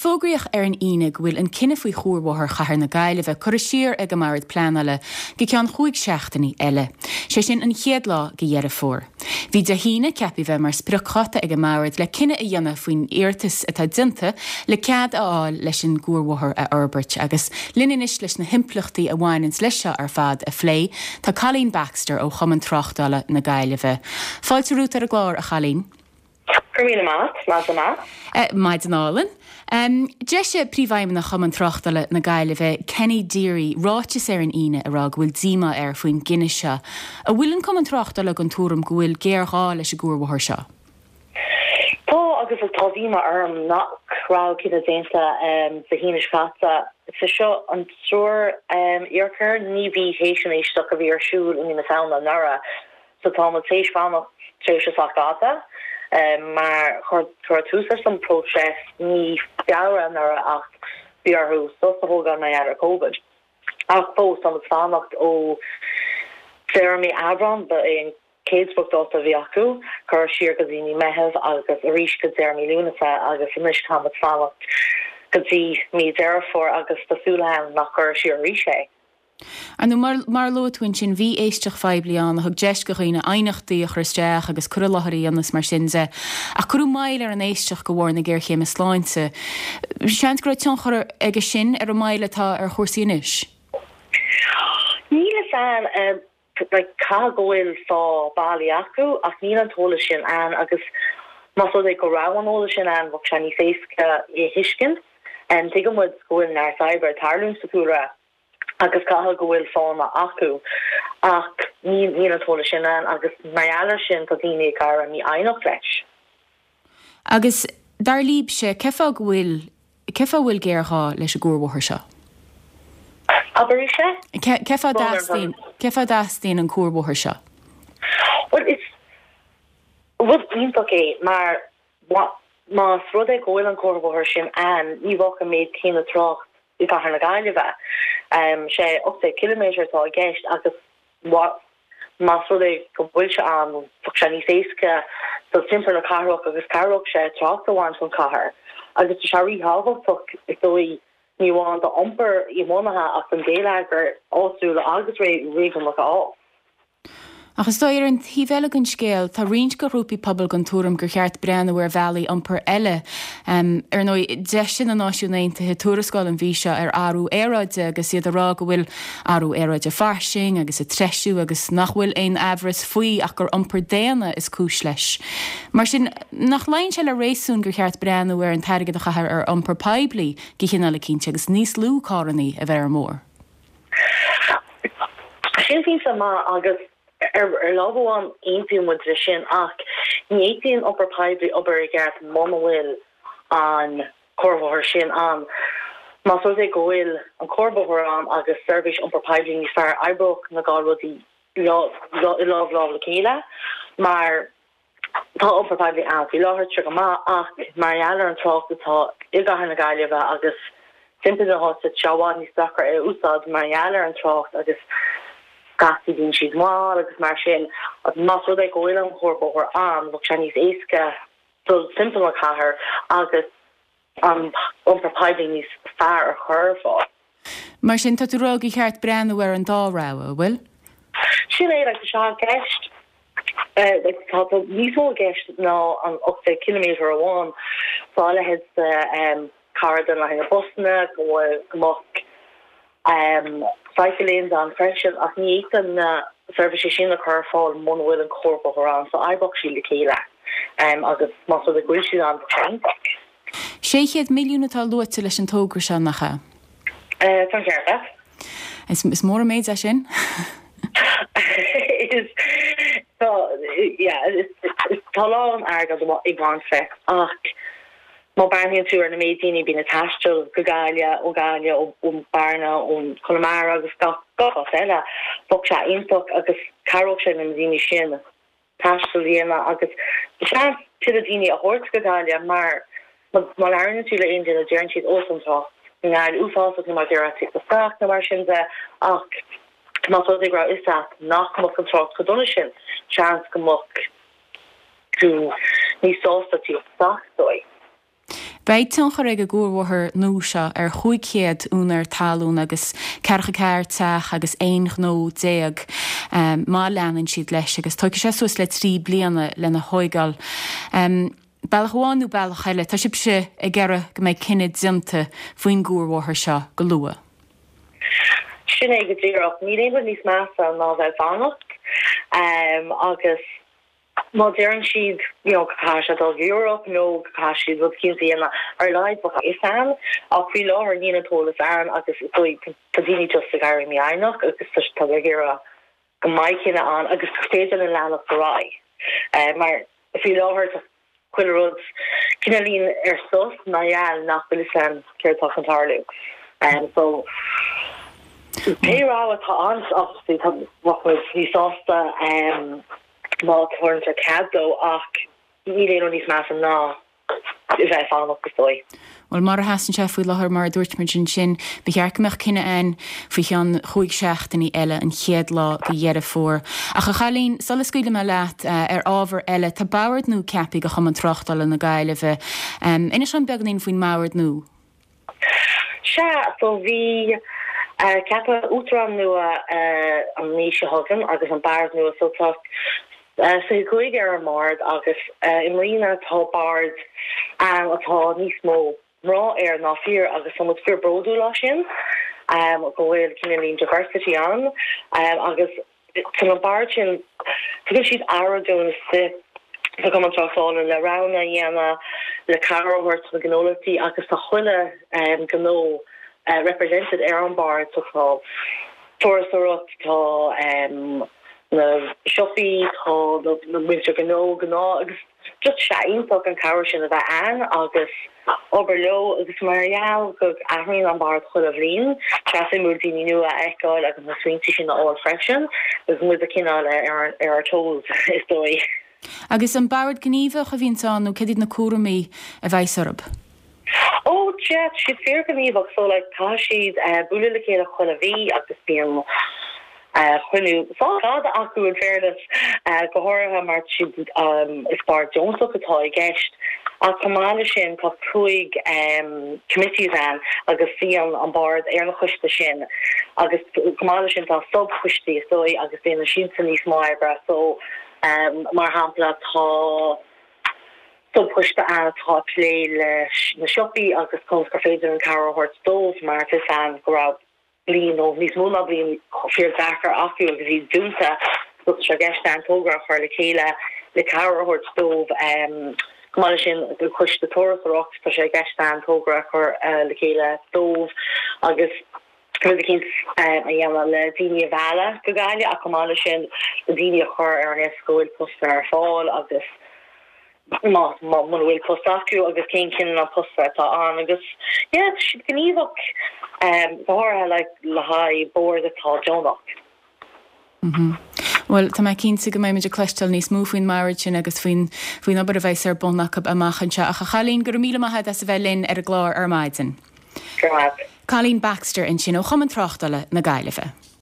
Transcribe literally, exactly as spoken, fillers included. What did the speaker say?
fógraíodh ar an Aoine go bhfuil an cinneadh faoi chuarbhóthar Chathair na Gaillimhe curtha siar ag an mBord Pleanála go ceann chúig seachtainí eile. Sé sin an chéad lá de Dheireadh Fómhair. Bhí Dé hAoine ceaptha bheith mar spriocdháta ag an mbord le cinneadh a dhéanamh faoin iarratas atá déanta le cead a fháil leis an gcuarbhóthar a fhorbairt agus linn anois leis na himpleachtaí a bhaineann leis seo ar fad a phlé tá Colleen Baxter ó Chumann Tráchtála na Gaillimhe. Fáilte romhat ar an gclár a Cholleen. Míle maith maith Uh, Maidin álainn. Um, D'eisigh príomhfheidhmeannach Chumann Tráchtála na Gaillimhe Kenny Deary ráiteas ar an Aoine a rá go bhfuil díomá air faoin gcinneadh seo. An bhfuil an Cumann Tráchtála den tuairim go bhfuil géarghá leis an gcuarbhóthar seo. Tá agus tá díomá orm nach raibh cinneadh déanta um, Dé hAoine seo caite. Sa seo an triúr um, iarchur ní bhí théis an éisteacht a bhí ar siúl i mí na Samhna anuraidh. So tá muid théis fanacht tréimhse sách fada. Um, mar chuir tús leis an próiseas mí Feabhra anuraidh ach bhí orthu sos a thógáil mar gheall ar COVID. Ach fós tá fanacht ó deireadh mí Aibreán ba é an chéad spriocdháta a bhí acu chur siar go dtí mí Meitheamh agus arís go deireadh mí Lúnasa agus anois tá muid fanacht go dtí mí Deireadh Fómhair agus tá súil agam nach gcuirfear siar arís é. Anu mar, mar luaigh tú ansin bhí éisteacht phoiblí ann a thug deis do dhaoine aighneachtaí a chur isteach agus cur i láthair ionas mar sin de. Ach cuireadh moill ar an éisteacht de bharr na géarchéime sláinte. Seans go raibh tionchar aige sin ar an moill atá ar chúrsaí anois. Níl san uh, like, caithfidh go bhfuil fáth bailí acu ach níl an t-eolas sin ann agus más rud é go raibh an t-eolas sin ann bheadh sé níos éasca é thuiscint en tuigim go bhfuil neart oibre ag tarlú sa chúlra agus caithfidh go bhfuil fáthanna acu ach ní níl an t-eolas sin ann agus mar gheall air sin tá daoine ag éirí mífhoighneach leis. Agus dar libhse cén fáth go bhfuil cén fáth bhfuil géarghá leis an gcuarbhóthar seo. Aber sé? Cén fáth a dteastaíonn an cuarbhóthar seo. Well is rud iontach é mar más rud é go bhfuil an cuarbhóthar sin ann ní bheadh an méid céanna trácht i gCathair na Gaillimhe. Um, sé ocht déag kilometer atá i gceist agus más rud é go bhfuil sé ann bheadh sé níos éasca dul timpeall na cathrach agus cabhródh sé trácht a bhaint ón chathair. Agus tá sé ríthábhachtach is dóigh ní amháin d'iompar tiománaithe ach an geilleagar áitiúil agus réigiúnach á. Ach is dóigh ar an taobh eile den scéal tá roinnt grúpaí pobail den tuairim gur cheart breathnú ar bhealaí iompair eile. Um, ar ndóigh d'eisigh na Náisiúin Aontaithe tuarascáil an mhí seo ar athrú aeráide agus iad ag rá go bhfuil athrú aeráide fairsing agus ag treisiú agus nach bhfuil aon amhras faoi ach gur iompar daonna is cúis leis. Mar sin nach luíonn sé le réasún gur cheart breathnú ar an t-airgead a chaitheamh ar iompar poiblí go cineál cinnte agus níos lú carranna a bheith ar an mbóthar. Sin fin má agus ar ar lámh amháin aontaím leis sin ach ní fhéadfaidh an iompar poiblí obair i gceart muna bhfuil an cuarbhóthar sin ann. Más rud é go bhfuil an cuarbhóthar ann agus seirbhís iompar poiblí níos fearr oibreoidh na dhá rudaí i lámh lámh le chéile mar tá iompar poiblí ann faoi láthair trí go maith ach mar gheall ar an trácht atá i gCathair na Gaillimhe agus timpeall na háite tá sé i bhfad níos deacra é úsáid mar gheall ar an trácht agus scaití bíonn siad mall agus mar sin más rud é go bhfuil an cuarbhóthar ann bheadh sé níos éasca dul timpeall na cathair agus an iompar poiblí níos fearr a chur ar fáil. Mar sin tá tú ag rá gur cheart breathnú ar an dá rogha, bhfuil? Sin é like, sé gceist tá níos mó i gceist ná an ocht kilometer amháin tá leithéid um, car le na busanna go go mbeadh um, cycle lanes ann freisin ach ní fhéadfaí na seirbhísí sin a chur ar fáil muna bhfuil an cuarbhóthar ann so oibreoidh siad le chéile um, agus más rud é go bhfuil siad ann iontach. Sé chéad milliún atá luaite leis an togra seo nach ea? Uh, Tá ceart. Is, is mór an méid é sin? is tá tá lán airgead ag baint leis ach má breathnaíonn tú ar na méid daoine bíonn ag taisteal go Gaillimh ó Gaillimh ó Bearna ón Conamara agus gach gach eile bheadh sé iontach agus cabhródh sé na daoine sin taisteal a dhéanamh agus seans tuilleadh daoine a thabhairt go Gaillimh mar má labhraíonn tú le aon duine deireann siad ó an trácht ngáil uafásach nó mar deir isteach nó mar sin de ach má rud é go raibh is nach mbeadh an trácht chomh dona sin seans go mbeadh tú níos sásta tíocht dóigh. Beidh tionchar ag an gcuarbhóthar nua seo ar chúig chéad úinéir talún agus ceathracha ceathair teach agus aon ghnó déag má leanann siad leis agus tógfaidh sé suas le trí bliana lena thóigeáil. Bealach amháin nó bealach eile, tá sibhse ag iarraidh go mbeidh cinneadh déanta faoin gcuarbhóthar seo go luath. Sin é go díreach. Níl aon rud níos measa ná bheith ag fanacht agus má deireann siad you know go caithfidh sé dul go Europe nó go caithfidh siad rud éicint a dhéanamh ar a laghad bheadh a fhios ann ach faoi láthair níl an t-eolas ann agus is dóigh tá daoine just ag éirí mífhoighneach agus tá tá ag iarraidh go mbeidh cinneadh ann agus gur féidir linn leanacht ar aghaidh mar faoi láthair tá chuile rud cineáilín ar sos mar gheall nach bhfuil fhios ann céard atá chun tarlú. So pé rogha atá ann obviously tá bheadh muid níos sásta má thabhartar cead dó ach níl aon rud níos measa ná a bheith ag fanacht is dóigh. Bhuel, mar a sheasann sé faoi láthair, mar a dúirt muid ansin, ba cheart go mbeadh cinneadh ann faoi cheann chúig seachtainí eile, an chéad lá de Dheireadh Fómhair. Ach a Chailín, sula scaoilfidh mé leat, ar ábhar eile, tá bord nua ceaptha do Chumann Tráchtála na Gaillimhe. Inis dom beagáinín faoin mbord nua. Sea, so bhí ceapadh uachtarán nua an mhí seo chugainn agus an bord nua, so tá fiche cúig ar an mbord agus i mbliana tá bord ann atá níos mó mná air ná fir agus tá muid fíor bródúil as sin go bhfuil cineáilín diversity ann agus tá an bord sin tugann siad aire dúinn sa sa Chumann Tráchtála le roghanna a dhéanamh le cabhair a thabhairt do na gnólachtaí agus tá chuile gnó represented ar an bord so tá turasóireacht tá na siopaí, tá na muintir gnó gnáth agus just sé iontach an cabhair sin a bheith ann agus obair leo agus mar gheall go athraíonn an bord chuile bhliain, tá sé suimiúil daoine nua a fheiceáil agus na smaointe sin a fháil freisin agus muid a cineál ar ar ár toes is dóigh. Agus an bord gníomhach a bhíonn ann nó cad iad na cúraimí a bheidh orthu? Ó yeah, tá siad fíorghníomhach so like tá siad bualadh le chéile chuile mhí agus bíonn cruinniú fada acu in fairness go háirithe mar is bord deonach atá i gceist. Ach chomh maith leis sin tá cúig committees ann agus suíonn an bord ar na coistí sin agus chomh maith leis sin tá sub-choistí is dóigh agus déanann siadsan níos mó oibre so mar shampla tá sub-choiste ann atá ag plé leis na siopaí agus conas gur féidir an cabhair a thabhairt dóibh mar tá fhios ann go raibh bliain nó níos mó ná bliain fíordheacair acu agus iad dúnta so tá sé i gceist ann togra a chur le chéile le cabhair a thabhairt dóibh. Chomh maith leis sin do choiste turasóireacht tá sé i gceist ann togra a chur le chéile dóibh agus rud eicínt a dhéanamh le daoine a mhealladh go Gaillimh ach chomh maith leis sin le daoine a chur ar an eolas go bhfuil postanna ar fáil agus má má muna bhfuil post acu agus cén cineál post atá ann agus yeah tá siad gníomhach go háirithe like le haghaidh bord atá deonach. Mm-hmm. Bhuel, tá mé cinnte go mbeidh muid ag cloisteáil níos mó faoin mbord sin agus faoin faoin obair a bheas ar bun acu amach anseo. Ach a Chailín, go raibh míle maith agat as a bheith linn ar an gclár ar maidin. Go raibh. Colleen Baxter ansin ó Chumann Tráchtála na Gaillimhe.